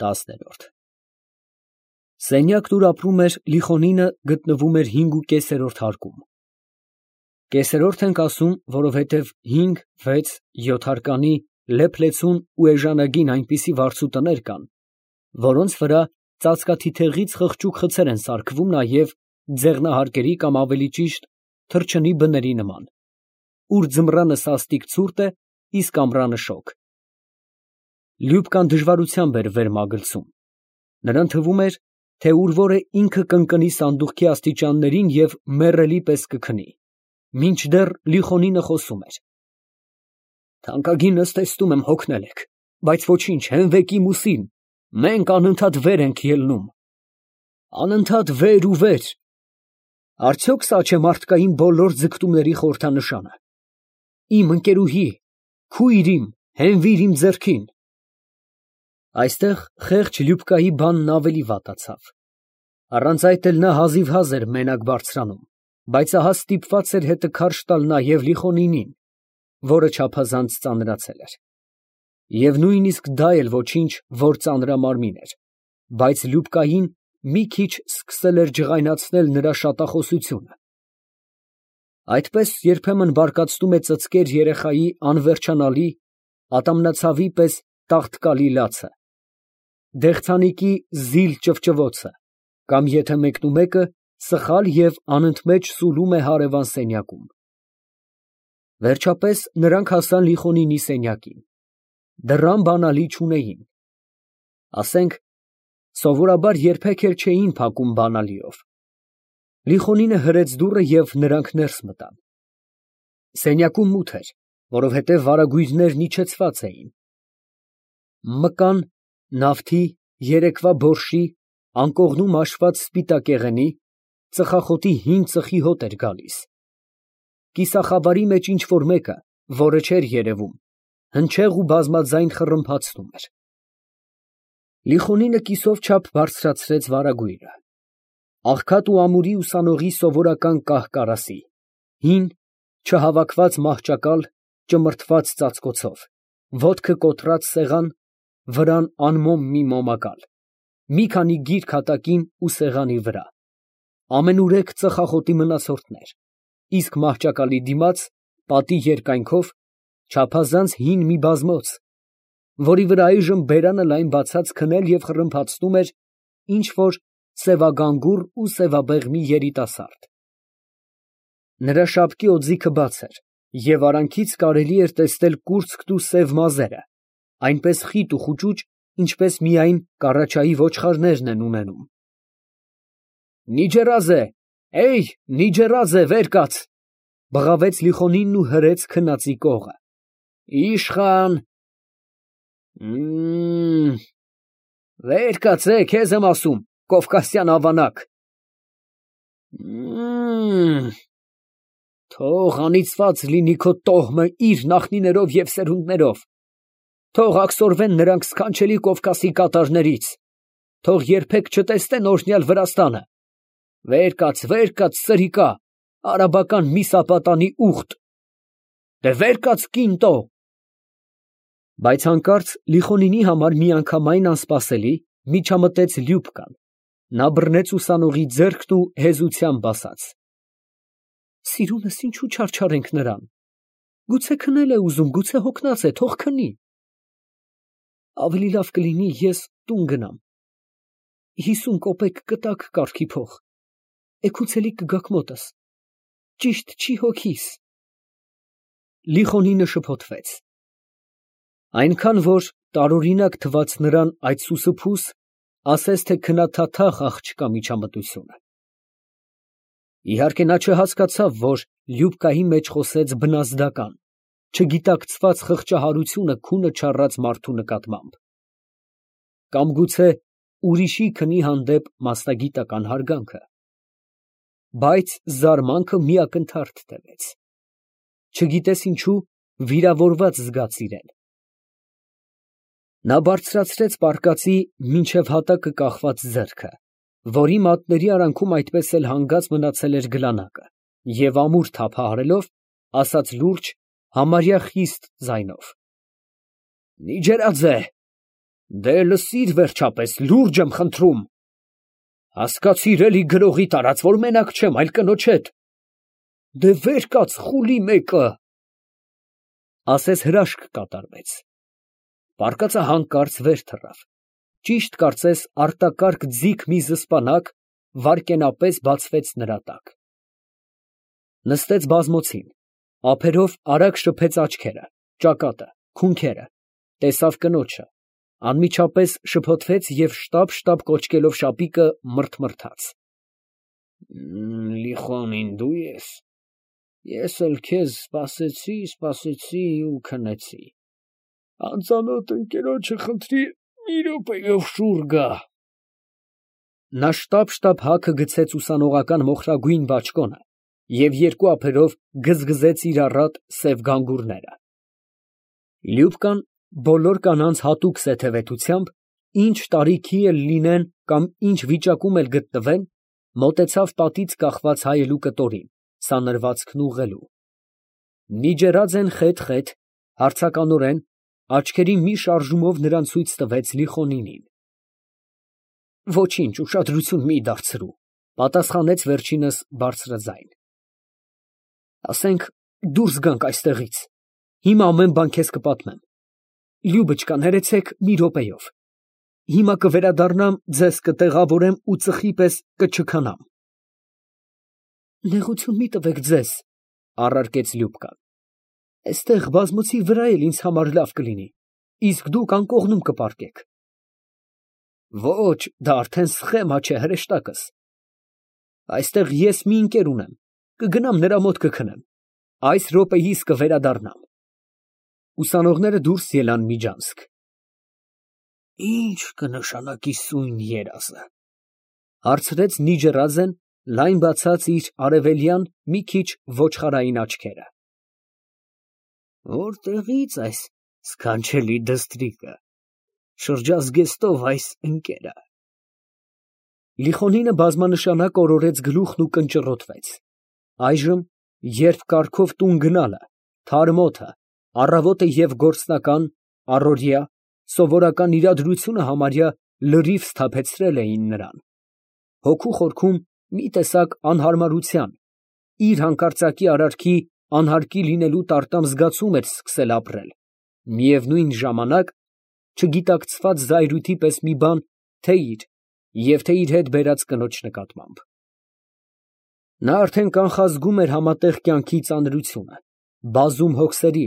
10 Սենյակն, ուր ապրում էր Լիխոնինը, գտնվում էր 5.5 հարկում։ Կեսերորդ ենք ասում, որովհետև 5, 6, 7 հարկանի լեփ-լեցուն ու էժանագին այնպիսի վարձու տներ կան, որոնց վրա ծածկաթիթեղից խղճուկ խցեր են սարքվում նաև ձեղնահարկերի կամ ավելի ճիշտ թռչնի բների նման, ուր ձմռանը սաստիկ ցուրտ է, իսկ ամռանը շոգ։ Լյուբկան դժվարությամբ էր վեր մագլցում. նրան թվում էր, թե ուր որ է ինքը կընկնի սանդուղքի աստիճաններին և մեռելի պես կքնի, մինչդեռ Լիխոնինը խոսում էր. «Թանկագինս տեսնում եմ հոգնել եք, բայց ոչինչ, հենվեք իմ ուսին, մենք անընդհատ վեր ենք ելնում, անընդհատ վեր ու վեր. արդյոք սա չէ մարդկային բոլոր ձգտումների խորհրդանշանը։ Իմ ընկերուհի, քույր իմ, հենվիր իմ ձեռքին»։ Այստեղ խեղճ Լյուբկայի բանն ավելի վատացավ։ Առանց այդ էլ նա հազիվհազ էր մենակ բարձրանում, բայց ահա ստիպված էր հետը քարշ տալ նաև Լիխոնինին, որը չափազանց ծանրացել էր։ Եվ նույնիսկ դա էլ ոչինչ, որ ծանրամարմին էր, բայց Լյուբկային մի քիչ սկսել էր ջղայնացնել նրա շատախոսությունը։ Այդպես երբեմն բարկացնում է ծծկեր երեխայի անվերջանալի, ատամնացավի պես տաղտկալի լացը, դեղցանիկի զիլ ճվճվոցը, կամ եթե մեկնումեկը սխալ և անընդմեջ սուլում է հարևան սենյակում։ Վերջապես նրանք հասան Լիխոնինի սենյակին։ Դռան բանալի չունեին։ Ասենք, սովորաբար երբեք էլ չէին փակում բանալիով։ Լիխոնինը հրեց դուռը և նրանք ներս մտան։ Սենյակում մութ էր, որովհետև վարագույրներն իջեցված էին։ Մկան, նավթի, երեկվա բորշի, անկողնում հաշված սպիտակ եղենի, ծխախոտի հին ծխի հոտ էր գալիս։ Կիսախավարի մեջ ինչ֊որ մեկը, որը չէր երևում, հնչեղ ու բազմաձայն խռմփացնում էր։ Լիխոնինը կիսով չափ բարձրացրեց վարագույրը։ Աղքատ ու ամուրի ուսանողի սովորական կահ֊կարասի, հին, չհավաքված մահճակալ, ճմրթված ծածկոցով, ոտքը կոտրած սեղան, վրան անմոմ մի մոմակալ, մի քանի գիրք հատակին ու սեղանի վրա, ամենուրեք ծխախոտի մնացորդներ, իսկ մահճակալի դիմաց, պատի երկայնքով, չափազանց հին մի բազմոց, որի վրա այժմ բերանը լայն բացած քնել և խռմփացնում էր ինչ֊որ սևագանգուր ու սևաբեղմի երիտասարդ։ Նրա շապկի օձիքը բաց էր, և արանքից կարելի էր տեսնել կուրծքն ու սև մազերը, այնպես խիտ ու խուճուճ, ինչպես միայն կառաչայի ոչխարներն են ունենում։ «Նիջերազե, Նիջերազե, վեր կաց», բղավեց Լիխոնինն ու հրեց քնածի կողը։ «Իշխան, վեր կաց, քեզ եմ ասում, կովկասյան ավանակ։ Թող անիծված լինի քո տոհմը իր նախնիներով և սերունդներով, թող աքսորվեն նրանք սքանչելի Կովկասի կատարներից, թող երբեք չտեսնեն օրհնյալ Վրաստանը։ Վեր կաց, սրիկա, արաբական միսապատանի ուղտ, վեր կաց, կինտո»։ Բայց հանկարծ Լիխոնինի համար միանգամայն անսպասելի միջամտեց Լյուբկան, նա բռնեց ուսանողի ձեռքն ու հեզությամբ ասաց. «Սիրունս, ինչու չարչարենք նրան, գուցե քնել է ուզում, գուցե հոգնած է, թող քնի։ Ավելի լավ կլինի ես տուն գնամ, 50 կոպեկ կտակ կարգի փող, էգուցալիկ կգաք մոտս, ճիշտ չի հոգիս»։ Լիխոնինը շփոթվեց։ Այնքան, որ տարօրինակ թվաց նրան այդ սուսուփուս, ասես թե քնաթաթախ աղջկա միջամտությունը։ Իհարկե նա չհասկացավ, որ Լյուբկայի մեջ խոսեց բնազդական, չգիտակցված խղճահարությունը քունը չառած մարդու նկատմամբ, կամ գուցե ուրիշի քնի հանդեպ մասնագիտական հարգանքը, բայց զարմանքը մի ակնթարթ տևեց, չգիտես ինչու վիրավորված զգաց իրեն։ Նա բարձրացրեց պարկածի մինչև հատակը կախված ձեռքը, որի մատների արանքում այդպես էլ հանգած մնացել էր գլանակը, և ամուր թափահարելով, ասաց լուրջ, համարյա խիստ ձայնով. «Նիջերաձե, Դե լսիր վերջապես, լուրջ եմ խնդրում։ Հասկացիր էլի գրողի տարած, որ մենակ չեմ, այլ կնոջ հետ։ Դե վեր կաց խուլի մեկը։ Ասես հրաշք կատարվեց։ Պարկածը հանկարծ վեր թռավ։ Ճիշտ կարծես արտակարգ ձիգ մի զսպանակ վայրկենապես բացվեց նրա տակ։ Նստեց բազմոցին, ափերով արագ շփեց աչքերը, ճակատը, քունքերը, տեսավ կնոջը, անմիջապես շփոթվեց և շտապ կոչկելով շապիկը մռթմռթաց. Լիխոնին դու ես, ես էլ քեզ սպասեցի ու քնեցի, անծանոթ ընկերոջը խնդրի մի րոպեով շուռ գա։ Նա շտապ հագը գցեց ուսանողական մոխրագույն բաճկոնը և երկու ափերով գզգզեց իր առատ սև գանգուրները։ Լյուբկան բոլոր կանանց հատուկ սեթևետությամբ, ինչ տարիքի էլ լինեն կամ ինչ վիճակում էլ գտնվեն, մոտեցավ պատից կախված հայելու կտորին, սանրվածքն ուղղելու։ Նիջերաձեն խեթ, հարցականորեն, աչքերի մի շարժումով նրան ցույց տվեց Լիխոնինին։ Ոչինչ, ուշադրություն մի դարձրու, պատասխանեց վերջինս բարձրաձայն։ Ասենք դուրս գանք այստեղից, հիմա ամեն բան քեզ կպատմեմ։ Լյուբոչկա, ներեցեք մի րոպեով։ Հիմա կվերադառնամ, ձեզ կտեղավորեմ ու ծխի պես կչքանամ։ Նեղություն մի տվեք ձեզ, առարկեց Լյուբկան։ Այստեղ բազմոցի վրա էլ ինձ համար լավ կլինի, իսկ դուք անկողնում կպառկեք։ Ոչ, դա արդեն սխեմա չէ, հրեշտակս։ Այստեղ ես մի ընկեր ունեմ, կգնամ նրա մոտ կքնեմ, այս րոպեիս կվերադառնամ։ Ուսանողները դուրս ելան միջանցք։ Ինչ կնշանակի սույն երազը, հարցրեց Նիջերաձեն, լայն բացած իր արևելյան մի քիչ ոչխարային աչքերը։ Որտեղից այս սքանչելի դստրիկը, շրջազգեստով այս ընկերը։ Լիխոնինը բազմանշանակ օրորեց գլուխն ու կնճռոտվեց։ Այժմ, երբ կառքով տուն գնալը, թարմ օդը, առավոտը և գործնական, առօրյա, սովորական իրադրությունը համարյա լրիվ սթափեցրել էին նրան, հոգու խորքում մի տեսակ անհարմարության, իր հանկարծակի արարքի անհարկի լինելու տարտամ զգացում էր սկսել ապրել, միևնույն ժամանակ չգիտակցված զայրույթի պես մի բան թե իր և թե իր հետ բերած կնոջ նկատմամբ։ Նա արդեն կանխազգում էր համատեղ կյանքի ծանրությունը, բազում հոգսերի,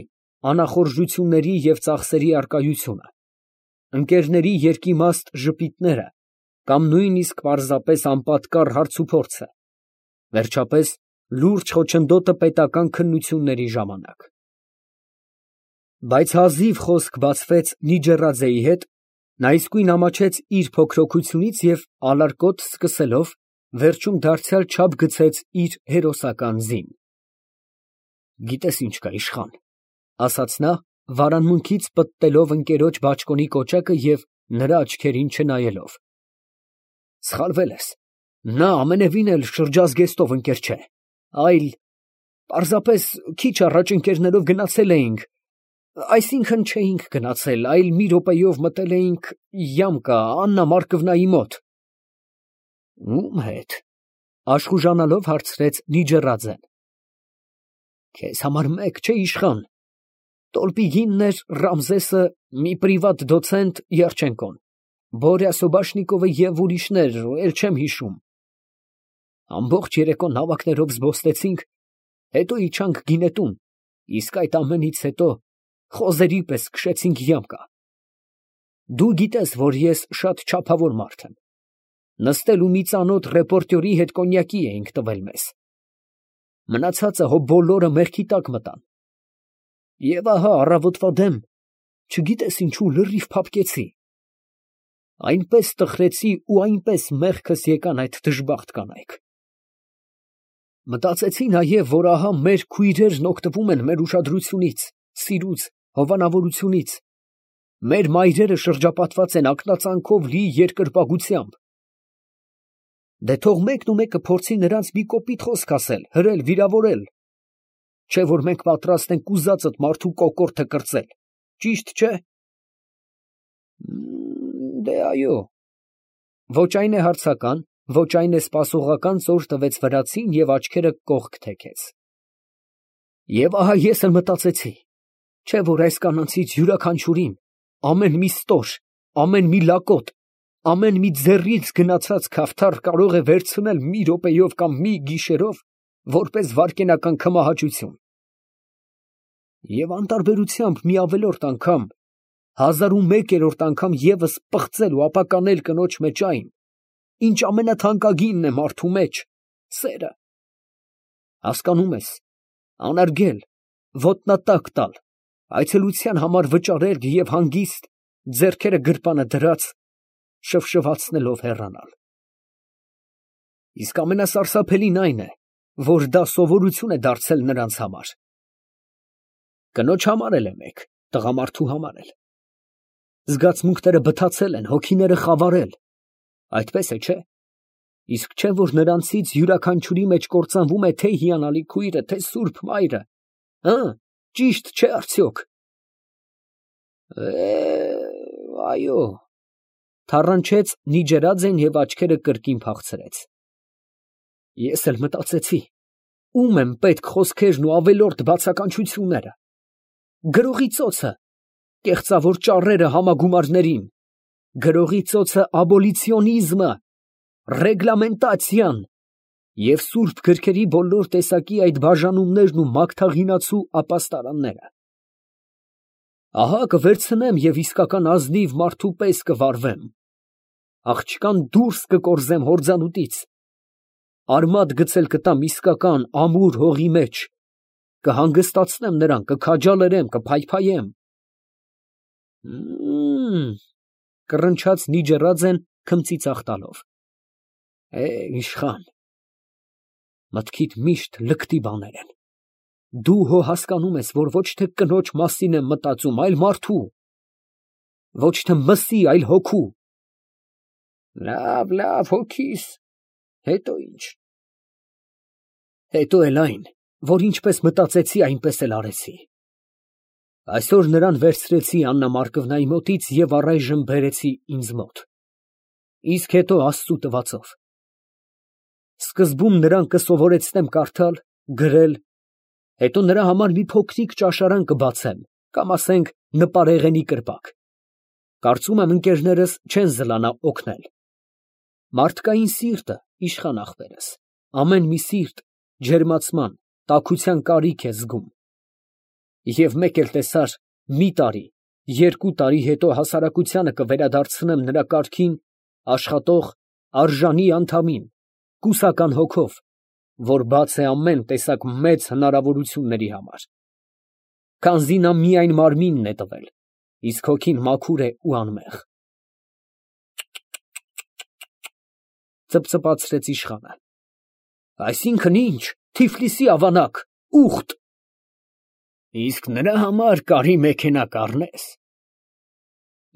անախորժությունների և ծախսերի առկայությունը, ընկերների երկիմաստ ժպիտները կամ նույնիսկ պարզապես անպատկառ հարցուփորձը, վերջապես լուրջ խոչընդոտը պետական քննությունների ժամանակ։ Բայց հազիվ խոսք բացվեց Նիջերաձեի հետ, նա իսկույն ամաչեց իր փոքրոգությունից և ալարկոտ սկսելով, վերջում դարձյալ չափ գցեց իր հերոսական զին։ Գիտես ինչ կա, իշխան, ասաց նա, վարանմունքից պտտելով ընկերոջ բաճկոնի կոճակը և նրա աչքերին չնայելով։ Սխալվել ես, նա ամենևին էլ շրջազգեստով ընկեր չէ, այլ պարզապես քիչ առաջ ընկերներով գնացել էինք, այսինքն չէինք գնացել, այլ մի րոպեով մտել էինք Յամկա Աննա Մարկովնայի մոտ։ Ո՞ւմ հետ, աշխուժանալով հարցրեց Նիջերաձեն։ Քեզ համար մեկ չէ, իշխան, Տոլպիգինն էր, Ռամզեսը, մի պրիվատ դոցենտ Երջենկոն, Բորյա Սոբաշնիկովը և ուրիշներ, էլ չեմ հիշում։ Ամբողջ երեկո նավակներով զբոսնեցինք, հետո իջանք գինետուն, իսկ այդ ամենից հետո խոզերի պես քշեցինք Յամկա։ Դու գիտես, որ ես շատ չափավոր մարդ եմ, նստել ու մի ծանոթ ռեպորտյորի հետ կոնյակի էինք տվել մեզ։ Մնացածը հո բոլորը մերքի տակ մտան։ Եվ ահա առավոտվա դեմ, չգիտես ինչու լրիվ փափկեցի։ Այնպես տխրեցի ու այնպես մեղքս եկան այդ դժբախտ կանայք։ Մտածեցի նաև, որ ահա մեր քույրերն օգտվում են մեր ուշադրությունից, սիրուց, հովանավորությունից, մեր մայրերը շրջապատված են ակնածանքով լի երկրպագությամբ։ Դե թող մեկն ու մեկը փորձի նրանց մի կոպիտ խոսք ասել, հրել, վիրավորել, չէ որ մենք պատրաստ ենք ուզածդ մարդու կոկորդը կրծել, ճիշտ չէ։ Դե այո։ Ոչ այն է հարցական, ոչ այն է սպասողական ծոր տվեց վրացին և աչքերը կողք թեքեց։ Եվ ահա ես էլ մտածեցի, չէ՞ որ այս կանանցից յուրաքանչյուրին ամեն մի ստոր, ամեն մի լակոտ, ամեն մի ձեռից գնացած քավթար կարող է վերցնել մի րոպեով կամ մի գիշերով որպես վայրկենական քմահաճություն։ Եվ անտարբերությամբ մի ավելորդ անգամ, 1001-րդ անգամ ևս պղծել ու ապականել կնոջ մեջ այն, ինչ ամենաթանկագինն է մարդու մեջ, սերը։ Հասկանում ես, անարգել, ոտնատակ տալ, այցելության համար վճարել և հանգիստ, ձեռքերը գրպանը դրած, շվշվացնելով հեռանալ։ Իսկ ամենասարսափելին այն է, որ դա սովորություն է դարձել նրանց համար։ Կնոջ համար էլ է մեկ, տղամարդու համար էլ։ Զգացմունքները բթացել են, հոգիները խավարել, այդպես է, չէ՞։ Իսկ չէ՞ որ նրանցից յուրաքանչյուրի մեջ կործանվում է թե հիանալի քույրը, թե սուրբ մայրը, ճիշտ չէ՞ արդյոք։ Այո, թառանչեց Նիջերաձեն և աչքերը կրկին փախցրեց։ Ես էլ մտածեցի, ում են պետք խոսքերն ու ավելորդ բացականչությունները։ Գրողի ծոցը, կեղծավոր ճառերը համագումարներին, գրողի ծոցը աբոլիցիոնիզմը, ռեգլամենտացիան և սուրբ գրքերի բոլոր տեսակի այդ բաժանումներն ու մագթաղինացու ապաստարանները։ Ահա կվերցնեմ և իսկական ազնիվ մարդու պես կվարվեմ, աղջկան դուրս կկորզեմ հորձանուտից, արմատ գցել կտամ իսկական ամուր հողի մեջ, կհանգստացնեմ նրան, կքաջալերեմ, կփայփայեմ։ Կռնչաց Նիջերաձեն քմծիծաղ տալով։ Իշխան, մտքիդ միշտ լկտի բաներ են։ Դու հո հասկանում ես, որ ոչ թե կնոջ մասին եմ մտածում, այլ մարդու, ոչ թե մսի, այլ հոգու։ Լավ, հոգիս, հետո ինչ։ Հետո էլ այն, որ ինչպես մտածեցի, այնպես էլ արեցի։ Այսօր նրան վերցրեցի Աննա Մարկովնայի մոտից և առայժմ բերեցի ինձ մոտ, իսկ հետո Աստծու տվածով։ Սկզբում նրան կսովորեցնեմ կարդալ, գրել, հետո նրա համար մի փոքրիկ ճաշարան կբացեմ, կամ ասենք նպարեղենի կրպակ։ Կարծում եմ ընկերներս չեն զլանա օգնել։ Մարդկային սիրտը, իշխան ախպերս, ամեն մի սիրտ ջերմացման, տաքության կարիք է զգում։ Եվ մեկ էլ տեսար, մի տարի, 2 տարի հետո հասարակությանը կվերադարձնեմ նրա կարգին աշխատող, արժանի անդամին, կուսական հոգով, որ բաց է ամեն տեսակ մեծ հնարավորությունների համար։ Քանզի նա միայն մարմինն է տվել, իսկ հոգին մաքուր է ու անմեղ։ Ծպծպացրեց իշխանը։ Այսինքն ինչ, Թիֆլիսի ավանակ, ուխտ։ Իսկ նրա համար կարի մեքենա կառնես։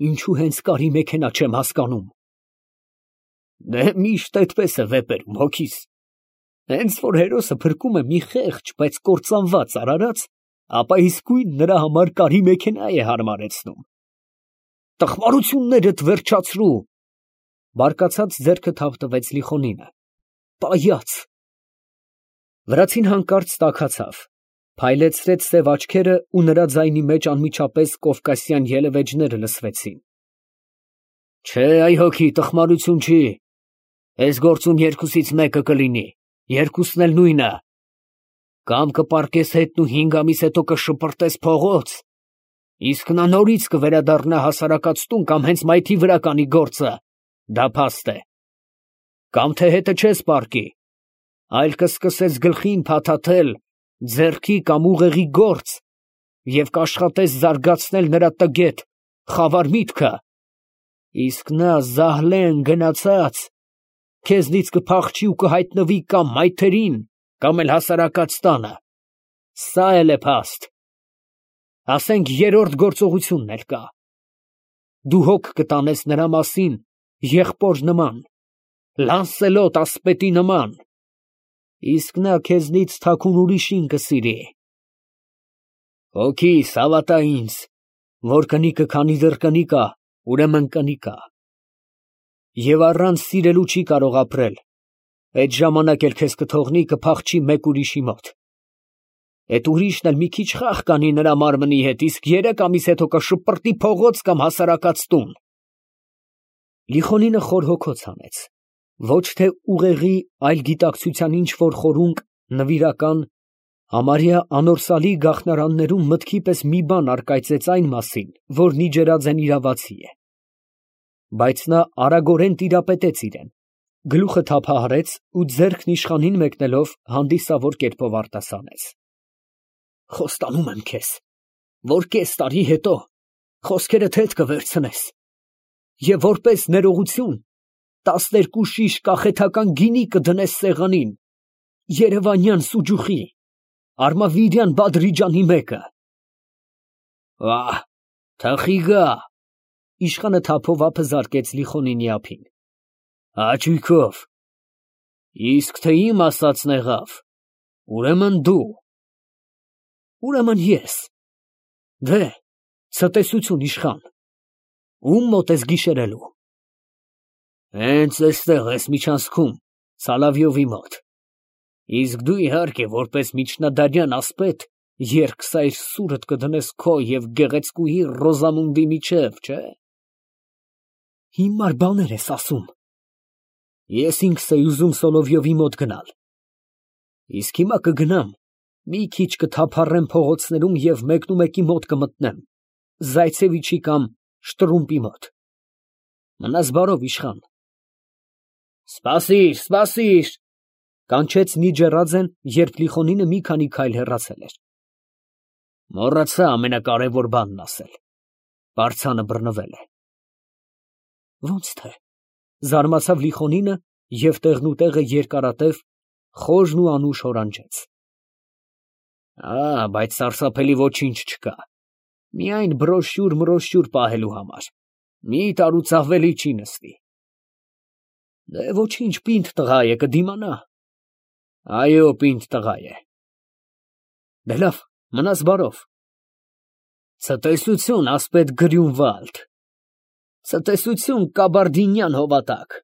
Ինչու հենց կարի մեքենա չեմ հասկանում։ Դե միշտ այդպես է վեպերում, հոգիս։ Հենց որ հերոսը փրկում է մի խեղճ, բայց կործանված արարած, ապա իսկույն նրա համար կարի մեքենա է հարմարեցնում։ Տխմարություններդ վերջացրու։ Բարկացած ձեռքը թավ տվեց Լիխոնինը։ Պայաց։ Վրացին հանկարծ տաքացավ, փայլեցրեց սև աչքերը ու նրա ձայնի մեջ անմիջապես կովկասյան ելևէջները լսվեցին։ Չէ, այ հոգի, տխմարություն չի։ Այս գործում երկուսից մեկը կլինի, երկուսն էլ նույնը։ Կամ կպառկես հետն ու 5 ամիս հետո կշպրտես փողոց, իսկ նա նորից կվերադառնա հասարակած տուն կամ հենց մայթի վրա կանի գործը, դա փաստ է։ Կամ թե հետը չես պառկի, այլ կսկսես գլխին փաթաթել ձեռքի կամ ուղեղի գործ և կաշխատես զարգացնել նրա տգետ, խավար միտքը, իսկ նա զահլեն գնացած քեզնից կփախչի ու կհայտնվի կամ մայթերին, կամ էլ հասարակած տանը։ Սա էլ է փաստ։ Ասենք երրորդ գործողությունն էլ կա։ Դու հոգ կտանես նրա մասին եղբոր նման, Լանսելոտ ասպետի նման, իսկ նա քեզնից թաքուն ուրիշին կսիրի։ Հոգիս, հավատա ինձ, որ կնիկը քանի դեռ կնիկ ա, ուրեմն կնիկ ա, Եվ առանց սիրելու չի կարող ապրել։ Այդ ժամանակ էլ քեզ կթողնի կփախչի մեկ ուրիշի մոտ։ Այդ ուրիշն էլ մի քիչ խաղ կանի նրա մարմնի հետ, իսկ 3 ամիս հետո կշպրտի փողոց կամ հասարակած տուն։ Լիխոնինը խոր հոգոց հանեց։ Ոչ թե ուղեղի, այլ գիտակցության ինչ որ խորունկ, նվիրական, համարյա անորսալի գաղտնարաններում մտքի պես մի բան առկայծեց այն մասին, որն իջերաձեն իրավացի է։ Բայց նա արագորեն տիրապետեց իրեն, գլուխը թափահարեց ու ձեռքն իշխանին մեկնելով հանդիսավոր կերպով արտասանեց. Խոստանում եմ քեզ, որ կես տարի հետո խոսքերդ հետ կվերցնես և որպես ներողություն 12 շիշ կախեթական գինի կդնես սեղանին, երևանյան սուջուխի, Արմավիրյան Բադրիջանի մեկը։ Ահ, թխի գա։ Իշխանը թափով ափը զարկեց Լիխոնինի ափին։ Հաճույքով։ Իսկ թե իմ ասածն եղավ, ուրեմն դու։ Ուրեմն ես։ Դե, ցտեսություն իշխան։ Ում մոտ ես գիշերելու։ Հենց էստեղ ես միջանցքում, Սալավյովի մոտ։ Իսկ դու իհարկե որպես միջնադարյան ասպետ երկսայր սուրդ կդնես քո և գեղեցկուհի Ռոզամունդի միջև, չէ՞։ Հիմար բաներ ես ասում։ Ես ինքս էի ուզում Սոլովյովի մոտ գնալ։ Իսկ հիմա կգնամ, մի քիչ կթափառեմ փողոցներում և մեկնումեկի մոտ կմտնեմ, Զայցևիչի կամ Շտրումպի մոտ։ Մնաս բարով, իշխան։ Սպասիր, սպասիր, կանչեց Նիջեռաձեն, երբ Լիխոնինը մի քանի քայլ հեռացել էր։ Մոռացա ամենակարևոր բանն ասել։ Պարծանը բռնվել է։ Ոնց թե, զարմացավ Լիխոնինը և տեղնուտեղը երկարատև, խորն ու անուշ հորանջեց։ Բայց սարսափելի ոչինչ չկա։ Միայն բրոշյուր պահելու համար։ Մի տարուց ավելի չի նստի։ Դե ոչինչ, պինդ տղա է, կդիմանա։ Այո, պինդ տղա է։ Դե լավ, մնաս բարով։ Ցտեսություն, ասպետ Գրյունվալդ։ Ցտեսություն, կաբարդինյան հովատակ։